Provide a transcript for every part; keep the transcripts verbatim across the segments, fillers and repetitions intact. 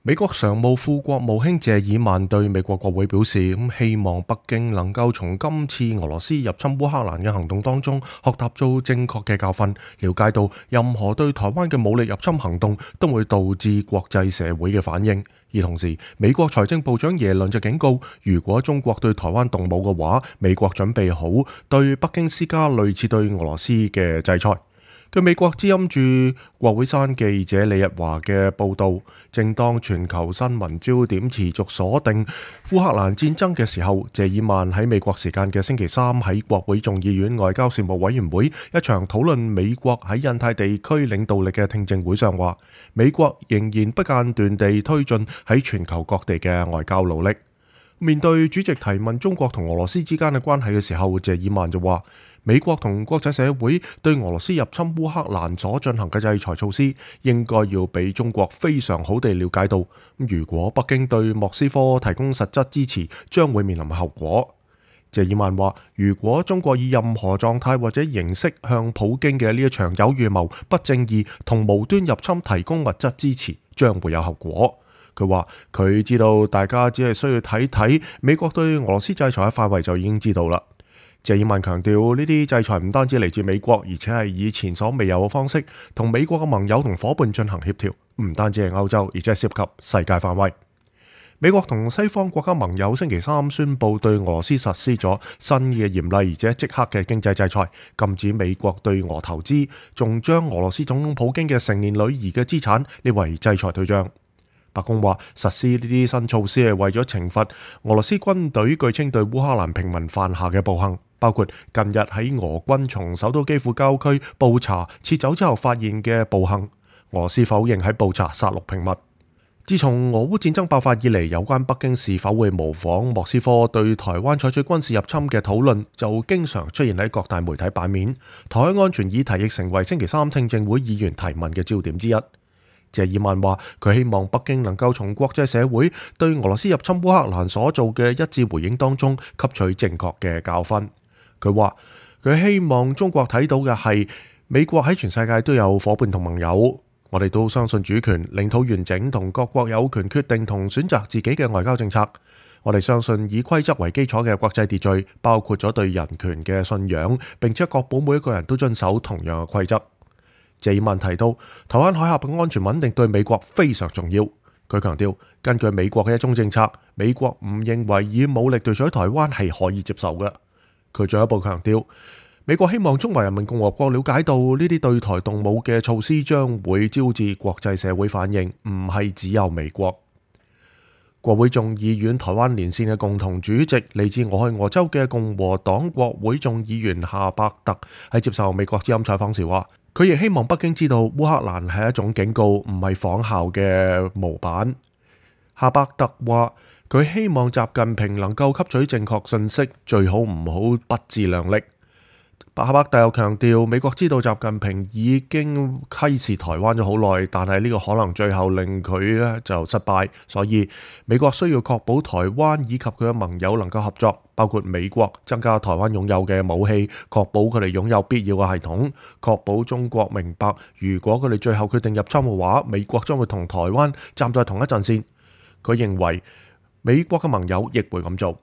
美國常務副國務卿謝爾曼對美國國會表示，咁希望北京能夠從今次俄羅斯入侵烏克蘭嘅行動當中學習到正確嘅教訓，了解到任何對台灣嘅武力入侵行動都會導致國際社會嘅反應。而同時，美國財政部長耶倫就警告，如果中國對台灣動武嘅話，美國準備好對北京施加類似對俄羅斯嘅制裁。據美國之音駐國會山記者李日華嘅報導，正當全球新聞焦點持續鎖定烏克蘭戰爭嘅時候，謝爾曼喺美國時間嘅星期三喺國會眾議院外交事務委員會一場討論美國喺印太地區領導力嘅聽證會上話，美國仍然不間斷地推進喺全球各地嘅外交努力。面對主席提問中國同俄羅斯之間嘅關係嘅時候，謝爾曼就話，美國同國際社會對俄羅斯入侵烏克蘭所進行嘅制裁措施，應該要俾中國非常好地了解到，如果北京對莫斯科提供實質支持，將會面臨後果。謝爾曼話，如果中國以任何狀態或者形式向普京嘅呢一場有預謀、不正義同無端入侵提供物質支持，將會有後果。佢話佢知道大家只係需要睇睇美國對俄羅斯制裁嘅範圍就已經知道啦。謝爾曼強調，呢啲制裁唔單止嚟自美國，而且係以前所未有嘅方式同美國嘅盟友同夥伴進行協調，唔單止係歐洲，而且係涉及世界範圍。美國同西方國家盟友星期三宣布對俄羅斯實施咗新嘅嚴厲而且即刻嘅經濟制裁，禁止美國對俄投資，仲將俄羅斯總統普京嘅成年女兒嘅資產列為制裁對象。白宮話實施呢啲新措施係為咗懲罰俄羅斯軍隊據稱對烏克蘭平民犯下嘅暴行，包括近日喺俄軍從首都基輔郊區布查撤走之後發現嘅暴行。俄羅斯否認喺布查殺戮平民。自從俄烏戰爭爆發以嚟，有關北京是否會模仿莫斯科對台灣採取軍事入侵嘅討論就經常出現喺各大媒體版面。台海安全議題亦成為星期三聽證會議員提問嘅焦點之一。謝爾曼話佢希望北京能夠從國際社會對俄羅斯入侵烏克蘭所做嘅一致回應當中吸取正確嘅教訓。佢話佢希望中國睇到嘅係美國喺全世界都有夥伴同盟友，我哋都相信主權、領土完整同各國有權決定同選擇自己嘅外交政策。我哋相信以規則為基礎嘅國際秩序，包括咗對人權嘅信仰，並且確保每一個人都遵守同樣嘅規則。謝爾曼提到，台灣海峽嘅安全穩定對美國非常重要。佢強調，根據美國嘅一中政策，美國唔認為以武力奪取台灣係可以接受嘅。佢進一步強調，美國希望中華人民共和國了解到呢啲對台動武嘅措施將會招致國際社會反應，唔係只有美國。國會眾議院台灣連線嘅共同主席嚟自俄亥俄州嘅共和黨國會眾議員夏伯特喺接受美國之音採訪時話，佢亦希望北京知道烏克蘭係一種警告，唔係仿效嘅模板。夏伯特話，佢希望習近平能夠吸取正確信息，最好唔好不自量力。夏伯特又強調，美國知道習近平已經窺視台灣咗好耐，但係呢個可能最後令佢咧就失敗，所以美國需要確保台灣以及佢嘅盟友能夠合作，包括美國增加台灣擁有嘅武器，確保佢哋擁有必要嘅系統，確保中國明白，如果佢哋最後決定入侵嘅話，美國將會同台灣站在同一陣線。佢認為美國嘅盟友亦會咁做。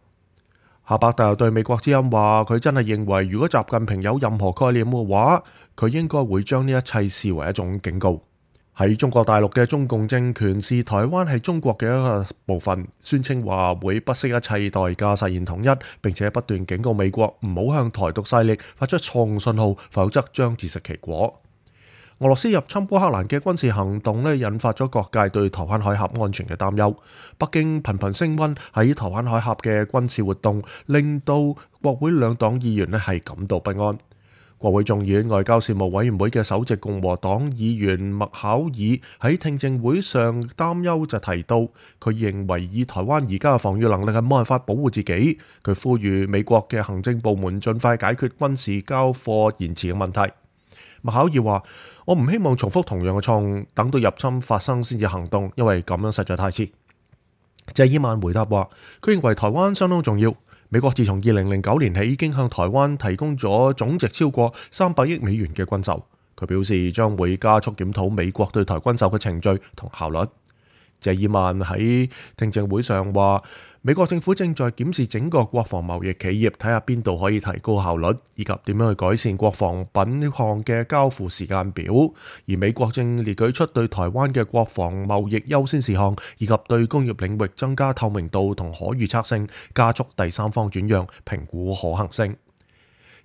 夏伯特又對美國之音話，佢真係認為如果習近平有任何概念嘅話，佢應該會將呢一切視為一種警告。喺中國大陸嘅中共政權視台灣係中國嘅一個部分，宣稱話會不惜一切代價實現統一，並且不斷警告美國唔好向台獨勢力發出錯誤信號，否則將自食其果。俄羅斯入侵烏克蘭嘅軍事行動咧，引發咗各界對台灣海峽安全嘅擔憂。北京頻頻升溫喺台灣海峽嘅軍事活動，令到國會兩黨議員咧係感到不安。國會眾議院外交事務委員會嘅首席共和黨議員麥考爾喺聽證會上擔憂就提到，佢認為以台灣而家嘅防禦能力係冇辦法保護自己。佢呼籲美國嘅行政部門盡快解決軍事交貨延遲嘅問題。麥考爾話，我唔希望重複同樣嘅錯誤，等到入侵發生先至行動，因為咁樣實在太遲。謝爾曼回答話，佢認為台灣相當重要。美國自從二零零九年起已經向台灣提供咗總值超過三百億美元嘅軍售。佢表示將會加速檢討美國對台軍售嘅程序同效率。謝爾曼喺聽證會上話，美國政府正在檢視整個國防貿易企業，睇下邊度可以提高效率，以及點樣去改善國防品項嘅交付時間表。而美國正列舉出對台灣嘅國防貿易優先事項，以及對工業領域增加透明度同可預測性，加速第三方轉讓，評估可行性。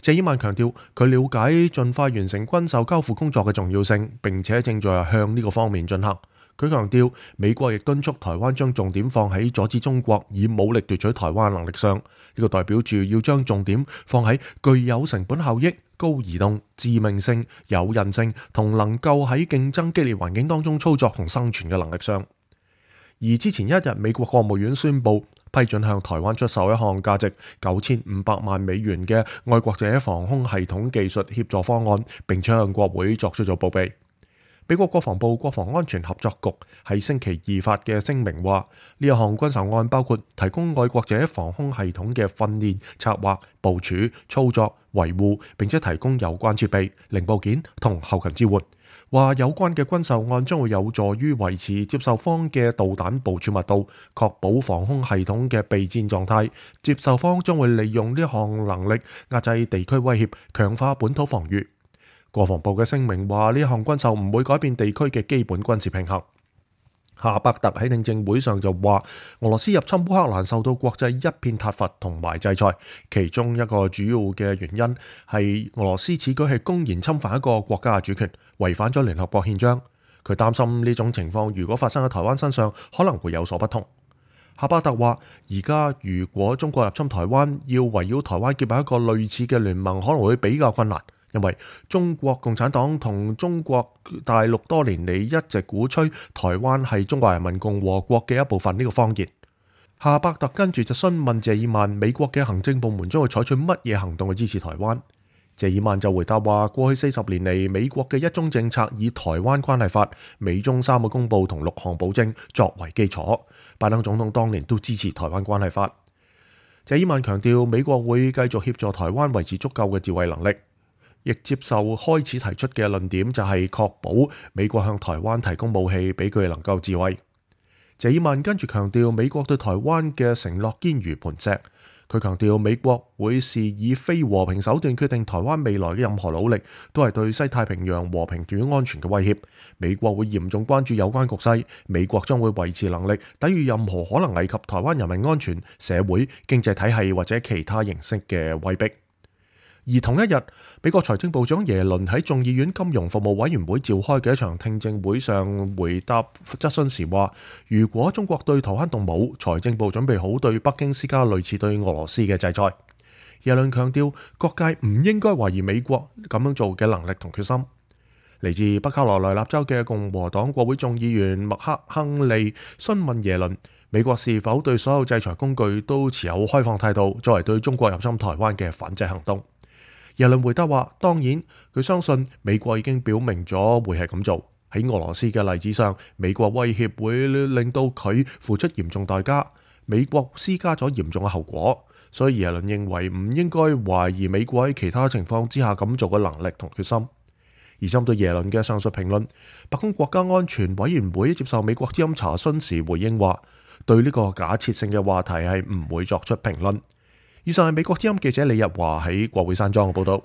謝爾曼強調，佢了解盡快完成軍售交付工作嘅重要性，並且正在向呢個方面進行。佢強調，美國亦敦促台灣將重點放喺阻止中國以武力奪取台灣能力上。呢個代表住要將重點放喺具有成本效益、高移動、致命性、有韌性同能夠喺競爭激烈環境當中操作同生存嘅能力上。而之前一日，美國國務院宣布批准向台灣出售一項價值九千五百萬美元嘅愛國者防空系統技術協助方案，並且向國會作出咗報備。美國國防部國防安全合作局喺星期二發嘅聲明話，呢一項軍售案包括提供愛國者防空系統嘅訓練、策劃、部署、操作、維護，並且提供有關設備、零部件同後勤支援。話有關嘅軍售案將會有助於維持接受方嘅導彈部署密度，確保防空系統嘅備戰狀態。接受方將會利用呢項能力壓制地區威脅，強化本土防禦。國防部嘅聲明話，呢一項軍售唔會改變地區嘅基本軍事平衡。夏伯特喺聽證會上就話，俄羅斯入侵烏克蘭受到國際一片撻伐同埋制裁，其中一個主要嘅原因係俄羅斯此舉係公然侵犯一個國家嘅主權，違反咗聯合國憲章。佢擔心呢種情況如果發生喺台灣身上，可能會有所不同。夏伯特話，而家如果中國入侵台灣，要圍繞台灣結合一個類似嘅聯盟，可能會比較困難。因為中國共產黨同中國大陸多年嚟一直鼓吹台灣係中華人民共和國嘅一部分呢個謊言。夏伯特跟住就詢問謝爾曼，美國嘅行政部門將會採取乜嘢行動去支持台灣？謝爾曼就回答話，過去四十年嚟，美國嘅一中政策以台灣關係法、美中三個公報同六項保證作為基礎。拜登總統當年都支持台灣關係法。謝爾曼強調，美國會繼續協助台灣維持足夠嘅自衛能力。亦接受開始提出嘅論點，就係確保美國向台灣提供武器，俾佢能夠自衛。謝爾曼跟住強調，美國對台灣嘅承諾堅如磐石。佢強調，美國會視以非和平手段決定台灣未來嘅任何努力，都係對西太平洋和平與安全嘅威脅。美國會嚴重關注有關局勢，美國將會維持能力，抵禦任何可能危及台灣人民安全、社會、經濟體系或者其他形式嘅威逼。而同一日，美國財政部長耶倫喺眾議院金融服務委員會召開嘅一場聽證會上回答質詢時話，如果中國對台灣動武，財政部準備好對北京施加類似對俄羅斯嘅制裁。耶倫強調，各界唔應該懷疑美國咁樣做嘅能力同決心。嚟自北卡羅來納州嘅共和黨國會眾議員麥克亨利詢問耶倫，美國是否對所有制裁工具都持有開放態度，作為對中國入侵台灣嘅反制行動。耶倫回答話，當然，佢相信美國已經表明咗會係咁做。喺俄羅斯嘅例子上，美國威脅會令到佢付出嚴重代價，美國施加咗嚴重嘅後果。所以耶倫認為唔應該懷疑美國喺其他情況之下咁做嘅能力同決心。而針對耶倫嘅上述評論，白宮國家安全委員會接受美國之音查詢時回應話，對呢個假設性嘅話題係唔會作出評論。以上係美國之音記者李日華喺國會山莊嘅報道。